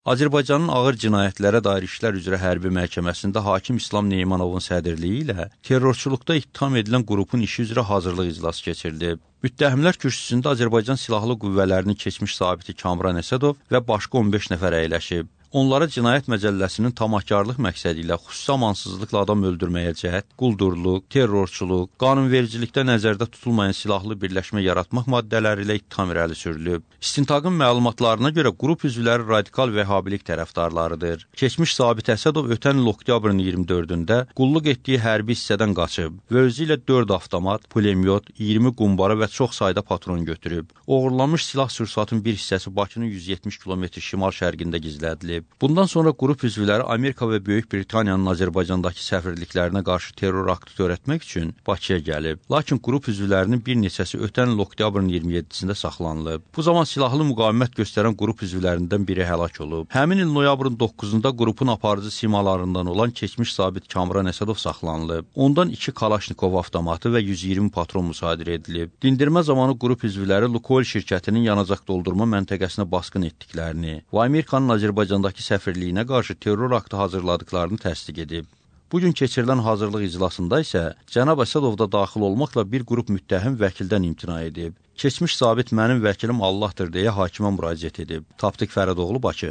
Azərbaycanın ağır cinayətlərə dair işlər üzrə hərbi məhkəməsində hakim İslam Neymanovun sədrliyi ilə terrorçuluqda ittiham edilən qrupun işi üzrə hazırlıq iclası keçirilib. Müttəhimlər kürsüsündə Azərbaycan Silahlı Qüvvələrinin keçmiş zabiti Kamran Əsədov və başqa 15 nəfər əyləşib. Onlara Cinayət Məcəlləsinin tamahkarlıq məqsədi ilə xüsusi amansızlıqla adam öldürməyə cəhd, quldurluq, terrorçuluq, qanunvericilikdə nəzərdə tutulmayan silahlı birləşmə yaratmaq maddələri ilə ittiham irəli sürülüb. İstintaqın məlumatlarına görə qrup üzvləri radikal vəhhabilik tərəfdarlarıdır. Keçmiş zabit Əsədov ötən il oktyabrın 24-də qulluq etdiyi hərbi hissədən qaçıb və özü ilə 4 avtomat, pulemyot, 20 qumbara və çox sayda patron götürüb. Oğurlanmış silah sursatın bir hissəsi Bakının 170 km şimal-şərqində gizlədilib. Bundan sonra qrup üzvləri Amerika və Böyük Britaniyanın Azərbaycandakı səfirliklərinə qarşı terror aktı törətmək üçün Bakıya gəlib. Lakin qrup üzvlərinin bir neçəsi ötən il oktyabrın 27-sində saxlanılıb. Bu zaman silahlı müqavimət göstərən qrup üzvlərindən biri həlak olub. Həmin il noyabrın 9-da qrupun aparıcı simalarından olan keçmiş zabit Kamran Əsədov saxlanılıb. Ondan 2 Kalaşnikov avtomatı və 120 patron müsadirə edilib. Dindirmə zamanı qrup üzvləri Lukoil şirkətinin yanacaq doldurma məntəqəsinə basqın etdiklərini və Amerikanın Azərbaycandakı səfirliyinə qarşı terror aktı hazırladıklarını təsdiq edib. Bugün keçirilən hazırlıq iclasında isə cənab Əsədov da daxil olmaqla bir qrup müttəhim vəkildən imtina edib. Keçmiş zabit mənim vəkilim Allahdır deyə hakimə müraciət edib. Tapdıq Fərədoğlu, Bakı.